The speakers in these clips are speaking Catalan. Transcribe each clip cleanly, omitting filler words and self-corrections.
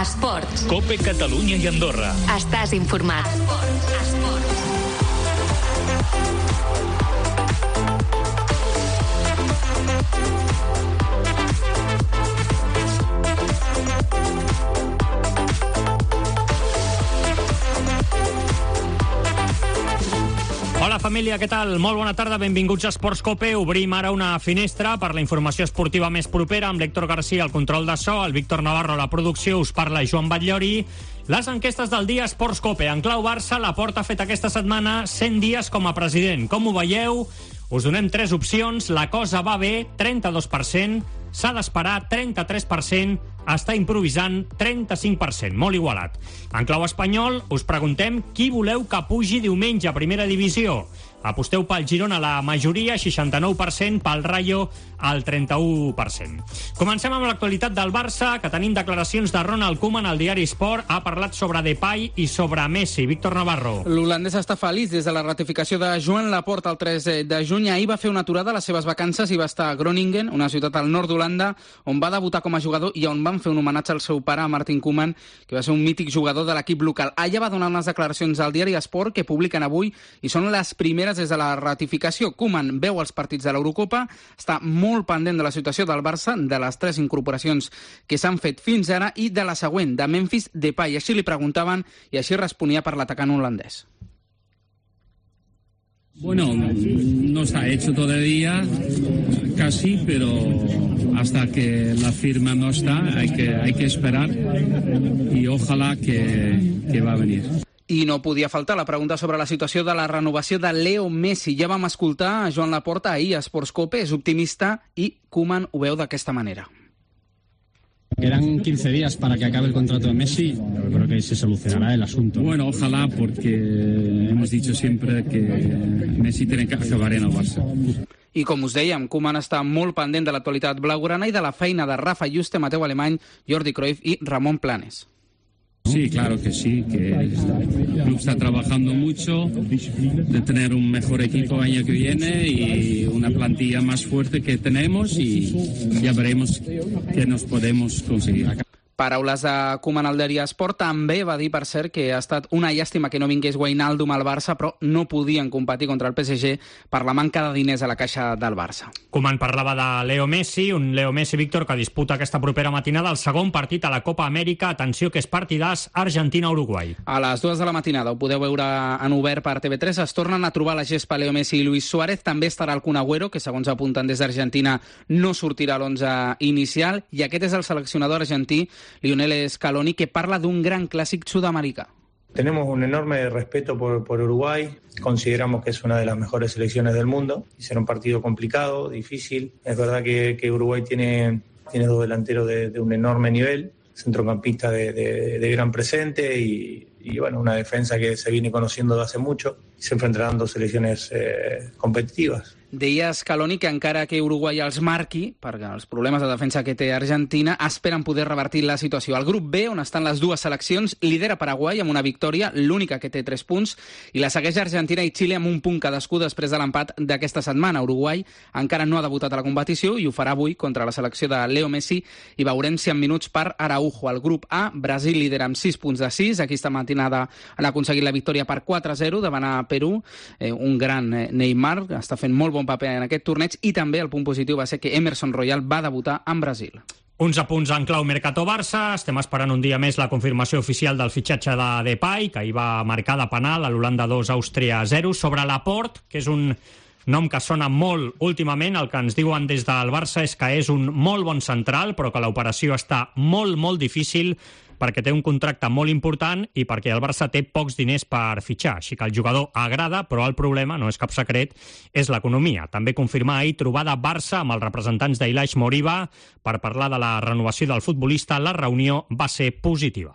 Esports. COPE Catalunya i Andorra. Estàs informat. Hola família, què tal? Molt bona tarda, benvinguts a Esports COPE. Obrim ara una finestra per la informació esportiva més propera amb l'Héctor García al control de so, el Víctor Navarro a la producció, us parla Joan Batllori. Les enquestes del dia Esports COPE. En clau Barça, Laporta ha fet aquesta setmana 100 dies com a president. Com ho veieu? Us donem 3 opcions. La cosa va bé, 32%. S'ha d'esperar, 33%. Està improvisant, 35%. Molt igualat. En clau espanyol, us preguntem qui voleu que pugi diumenge a primera divisió. Aposteu pel Girona la majoria, 69%, pel Rayo al 31%. Comencem amb l'actualitat del Barça, que tenim declaracions de Ronald Koeman al diari Sport. Ha parlat sobre Depay i sobre Messi. Víctor Navarro. L'holandès està feliç des de la ratificació de Joan Laporta el 3 de juny. Ahir va fer una aturada a les seves vacances i va estar a Groningen, una ciutat al nord d'Holanda, on va debutar com a jugador i on van fer un homenatge al seu pare, Martin Koeman, que va ser un mític jugador de l'equip local. Allà va donar unes declaracions al diari Sport que publiquen avui i són les primeres des de la ratificació. Koeman veu els partits de l'Eurocopa, està molt pendent de la situació del Barça, de les 3 incorporacions que s'han fet fins ara i de la següent, de Memphis Depay. Així li preguntaven i així responia per l'atacant holandès. Bueno, no se ha hecho todavía, casi, pero hasta que la firma no está, hay que esperar y ojalá que va a venir. I no podia faltar la pregunta sobre la situació de la renovació de Leo Messi. Ja vam escoltar a Joan Laporta ahir a Esports COPE, és optimista i Koeman ho veu d'aquesta manera. Quedan 15 días para que acabe el contrato de Messi. Yo creo que se solucionará el asunto. Bueno, ojalá, porque hemos dicho siempre que Messi tiene que acabar en el Barça. I com us dèiem, Koeman està molt pendent de l'actualitat blaugrana i de la feina de Rafa Juste, Mateu Alemany, Jordi Cruyff i Ramon Planes. Sí, claro que sí, que el club está trabajando mucho de tener un mejor equipo el año que viene y una plantilla más fuerte que tenemos y ya veremos qué nos podemos conseguir. Paraules de Koeman al diari Esport. També va dir, per cert, que ha estat una llàstima que no vingués Wijnaldum al Barça, però no podien competir contra el PSG per la manca de diners a la caixa del Barça. Koeman parlava de Leo Messi, un Leo Messi, Víctor, que disputa aquesta propera matinada el segon partit a la Copa Amèrica. Atenció, que és partidàs Argentina-Uruguai. A les 2 de la matinada, ho podeu veure en obert per TV3, es tornen a trobar la gespa Leo Messi i Luis Suárez. També estarà el Kun Agüero, que segons apunten des d'Argentina no sortirà a l'11 inicial, i aquest és el seleccionador argentí, Lionel Scaloni, que parla d'un gran clàssic sud-americà. Tenemos un enorme respeto por Uruguay, consideramos que es una de las mejores selecciones del mundo y será un partido complicado, difícil. Es verdad que Uruguay tiene 2 delanteros de un enorme nivel, centrocampista de gran presente y bueno, una defensa que se viene conociendo de hace mucho y se enfrentarán 2 selecciones competitivas. Deia Scaloni que encara que Uruguai els marqui, perquè els problemes de defensa que té Argentina, esperen poder revertir la situació. Al grup B, on estan les 2 seleccions, lidera Paraguai amb una victòria, l'única que té 3 punts, i la segueix Argentina i Xile amb un punt cadascú després de l'empat d'aquesta setmana. Uruguai encara no ha debutat a la competició i ho farà avui contra la selecció de Leo Messi i veurem si en minuts per Araujo. Al grup A, Brasil lidera amb 6 punts de 6. Aquesta matinada han aconseguit la victòria per 4-0 davant a Perú. Un gran Neymar, està fent molt bon paper en aquest torneig, i també el punt positiu va ser que Emerson Royal va debutar en Brasil. Uns apunts en clau Mercato Barça. Estem esperant un dia més la confirmació oficial del fitxatge de Depay, que ahir va marcar de penal a l'Holanda 2, Àustria 0. Sobre Laporte, que és un nom que sona molt últimament, el que ens diuen des del Barça és que és un molt bon central, però que l'operació està molt difícil perquè té un contracte molt important i perquè el Barça té pocs diners per fitxar. Així que el jugador agrada, però el problema, no és cap secret, és l'economia. També confirmar ahir trobada Barça amb els representants d'Ilaish Moriba per parlar de la renovació del futbolista. La reunió va ser positiva.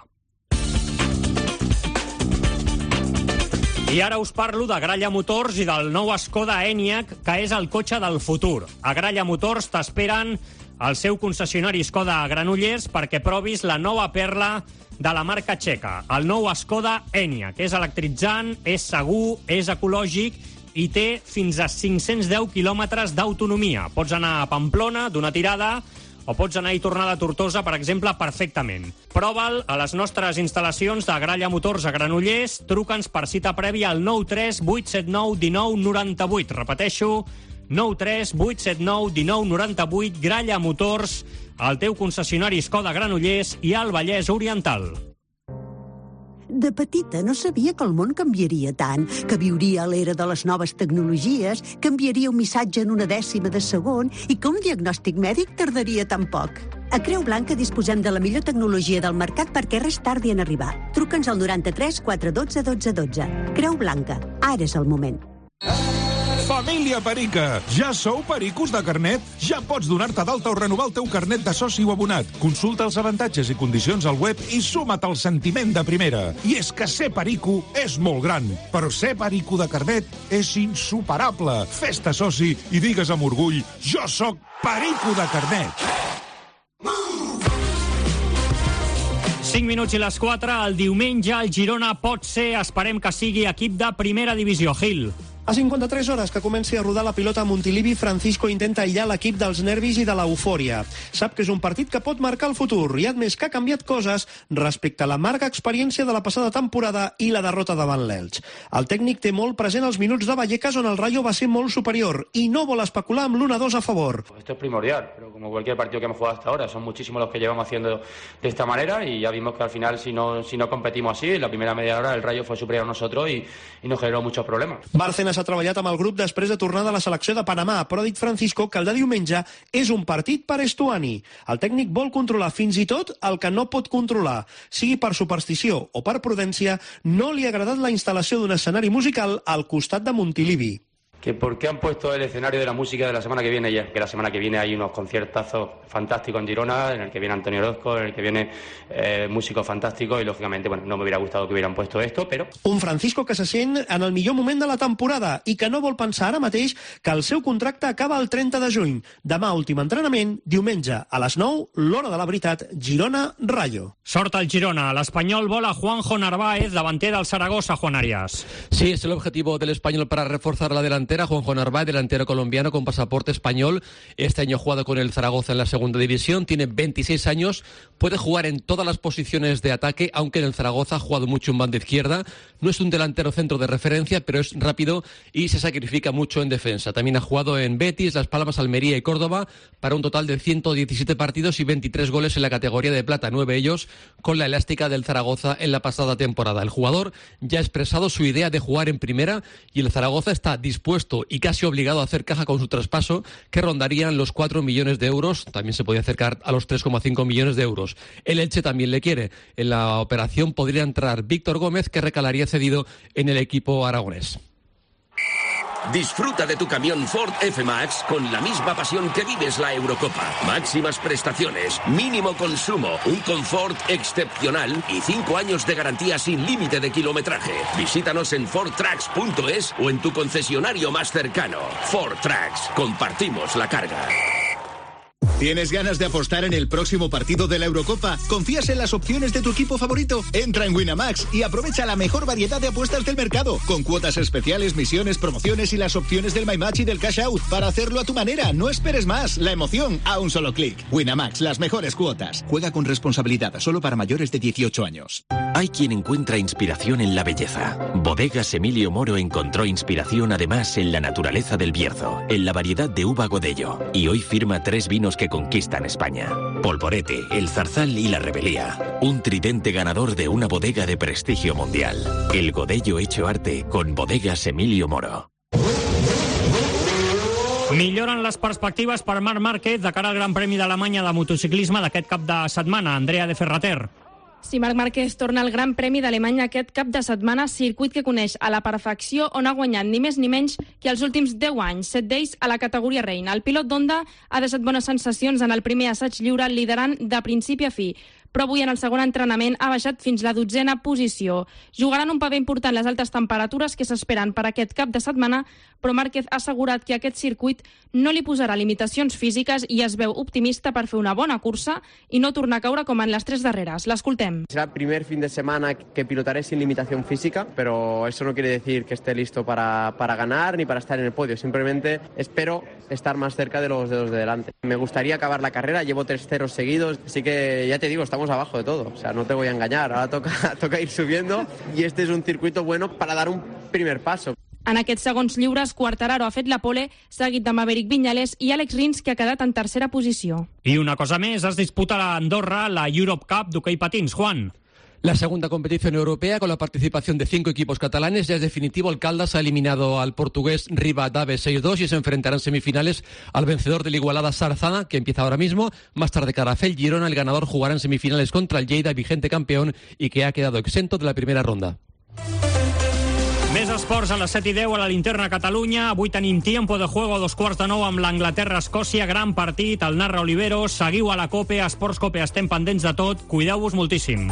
I ara us parlo de Gralla Motors i del nou Skoda Enyaq, que és el cotxe del futur. A Gralla Motors t'esperen al seu concessionari Skoda a Granollers perquè provis la nova perla de la marca txeca, el nou Skoda Enyaq, que és electritzant, és segur, és ecològic i té fins a 510 quilòmetres d'autonomia. Pots anar a Pamplona d'una tirada o pots anar i tornar de Tortosa, per exemple, perfectament. Prova'l a les nostres instal·lacions de Gralla Motors a Granollers. Truca'ns per cita prèvia al 93 879 19 98. Repeteixo, 93 879 19 98. Gralla Motors, el teu concessionari Skoda Granollers i al Vallès Oriental. De petita no sabia que el món canviaria tant, que viuria a l'era de les noves tecnologies, que enviaria un missatge en 1/10 de segon i que un diagnòstic mèdic tardaria tan poc. A Creu Blanca disposem de la millor tecnologia del mercat perquè res tardi en arribar. Truca'ns al 93 412 12 12. Creu Blanca, ara és el moment. Família Perica! Ja sou pericos de carnet? Ja pots donar-te d'alta o renovar el teu carnet de soci o abonat. Consulta els avantatges i condicions al web i suma't al sentiment de primera. I és que ser perico és molt gran, però ser perico de carnet és insuperable. Fes-te soci i digues amb orgull: jo sóc perico de carnet. 5 minuts i les 4. El diumenge el Girona pot ser, esperem que sigui, equip de primera divisió. Gil. A 53 hores que comenci a rodar la pilota a Montilivi, Francisco intenta aïllar l'equip dels nervis i de l'eufòria. Sap que és un partit que pot marcar el futur i, a més, que ha canviat coses respecte a l'amarga experiència de la passada temporada i la derrota davant l'Elx. El tècnic té molt present els minuts de Vallecas, on el Rayo va ser molt superior, i no vol especular amb l'1-2 a favor. Esto es primordial, pero como cualquier partido que hemos jugado hasta ahora, son muchísimos los que llevamos haciendo de esta manera y ya vimos que al final, si no competimos así, en la primera media hora el Rayo fue superior a nosotros y nos generó muchos problemas. Bárcenas ha treballat amb el grup després de tornar de la selecció de Panamà, però ha dit Francisco que el de diumenge és un partit per Estuani. El tècnic vol controlar fins i tot el que no pot controlar. Sigui per superstició o per prudència, no li ha agradat la instal·lació d'un escenari musical al costat de Montilivi. Que por qué han puesto el escenario de la música de la semana que viene ya, que la semana que viene hay unos conciertazos fantásticos en Girona, en el que viene Antonio Orozco, en el que viene músicos fantásticos y lógicamente, bueno, no me hubiera gustado que hubieran puesto esto, però... Un Francisco que se sent en el millor moment de la temporada i que no vol pensar ara mateix que el seu contracte acaba el 30 de juny. Demà últim entrenament, diumenge a les 9, l'hora de la veritat, Girona-Rayo. Sort al Girona. L'Espanyol vol a Juanjo Narváez, davanter del Zaragoza, Juan Arias. Sí, es el objetivo del Español para reforzar la delantera. Juanjo Narváez, delantero colombiano con pasaporte español. Este año ha jugado con el Zaragoza en la segunda división. Tiene 26 años. Puede jugar en todas las posiciones de ataque, aunque en el Zaragoza ha jugado mucho en banda izquierda. No es un delantero centro de referencia, pero es rápido y se sacrifica mucho en defensa. También ha jugado en Betis, Las Palmas, Almería y Córdoba para un total de 117 partidos y 23 goles en la categoría de plata, 9 ellos con la elástica del Zaragoza en la pasada temporada. El jugador ya ha expresado su idea de jugar en primera y el Zaragoza está dispuesto y casi obligado a hacer caja con su traspaso, que rondarían los 4 millones de euros. También se podía acercar a los 3,5 millones de euros. El Elche también le quiere. En la operación podría entrar Víctor Gómez, que recalaría cedido en el equipo aragonés. Disfruta de tu camión Ford F-Max con la misma pasión que vives la Eurocopa. Máximas prestaciones, mínimo consumo, un confort excepcional y 5 años de garantía sin límite de kilometraje. Visítanos en fordtrucks.es o en tu concesionario más cercano. Ford Trucks, compartimos la carga. ¿Tienes ganas de apostar en el próximo partido de la Eurocopa? ¿Confías en las opciones de tu equipo favorito? Entra en Winamax y aprovecha la mejor variedad de apuestas del mercado, con cuotas especiales, misiones, promociones y las opciones del My Match y del Cash Out, para hacerlo a tu manera. No esperes más. La emoción a un solo clic. Winamax, las mejores cuotas. Juega con responsabilidad, solo para mayores de 18 años. Hay quien encuentra inspiración en la belleza. Bodegas Emilio Moro encontró inspiración además en la naturaleza del Bierzo, en la variedad de uva Godello, y hoy firma 3 vinos que conquistan España: Polvorete, El Zarzal y La Rebelía. Un tridente ganador de una bodega de prestigio mundial. El Godello hecho arte con Bodegas Emilio Moro. Milloren les perspectives per Marc Márquez de cara al Gran Premi d'Alemanya de motociclisme d'aquest cap de setmana. Andrea de Ferrater. Si Marc Márquez torna al Gran Premi d'Alemanya aquest cap de setmana, circuit que coneix a la perfecció, on ha guanyat ni més ni menys que els últims 10 anys, 7 d'ells a la categoria reina. El pilot d'Honda ha deixat bones sensacions en el primer assaig lliure, liderant de principi a fi. però avui en el segon entrenament ha baixat fins la 12a posició. Jugaran un paper important les altes temperatures que s'esperen per aquest cap de setmana, però Márquez ha assegurat que aquest circuit no li posarà limitacions físiques i es veu optimista per fer una bona cursa i no tornar a caure com en les 3 darreres. L'escoltem. Será el primer fin de semana que pilotaré sin limitación física, pero eso no quiere decir que esté listo para ganar ni para estar en el podio. Simplemente espero estar más cerca de los dedos de delante. Me gustaría acabar la carrera, llevo 3 ceros seguidos, así que ya te digo, estamos abajo de todo. O sea, no te voy a engañar, ahora toca ir subiendo y este es un circuito bueno para dar un primer paso. En aquests segons lliures, Quartararo ha fet la pole, seguit de Maverick Viñales i Alex Rins, que ha quedat en tercera posició. I una cosa més, es disputa a Andorra la Europe Cup d'hoquei patins. Juan. La segunda competición europea con la participación de 5 equipos catalanes. Ya es definitivo, el Caldas ha eliminado al portugués Rivadavia 6-2 y se enfrentarán en semifinales al vencedor del Igualada Sarzana, que empieza ahora mismo. Más tarde Carafel Girona, el ganador jugará en semifinales contra el Lleida, vigente campeón y que ha quedado exento de la primera ronda. Més esports a les 7:10 a la Linterna Catalunya. Avui tenim tiempo de juego a 8:45 amb l'Anglaterra-Escòcia. Gran partit, el narra Oliveros. Seguiu a la COPE, a Esports COPE. Estem pendents de tot. Cuideu-vos moltíssim.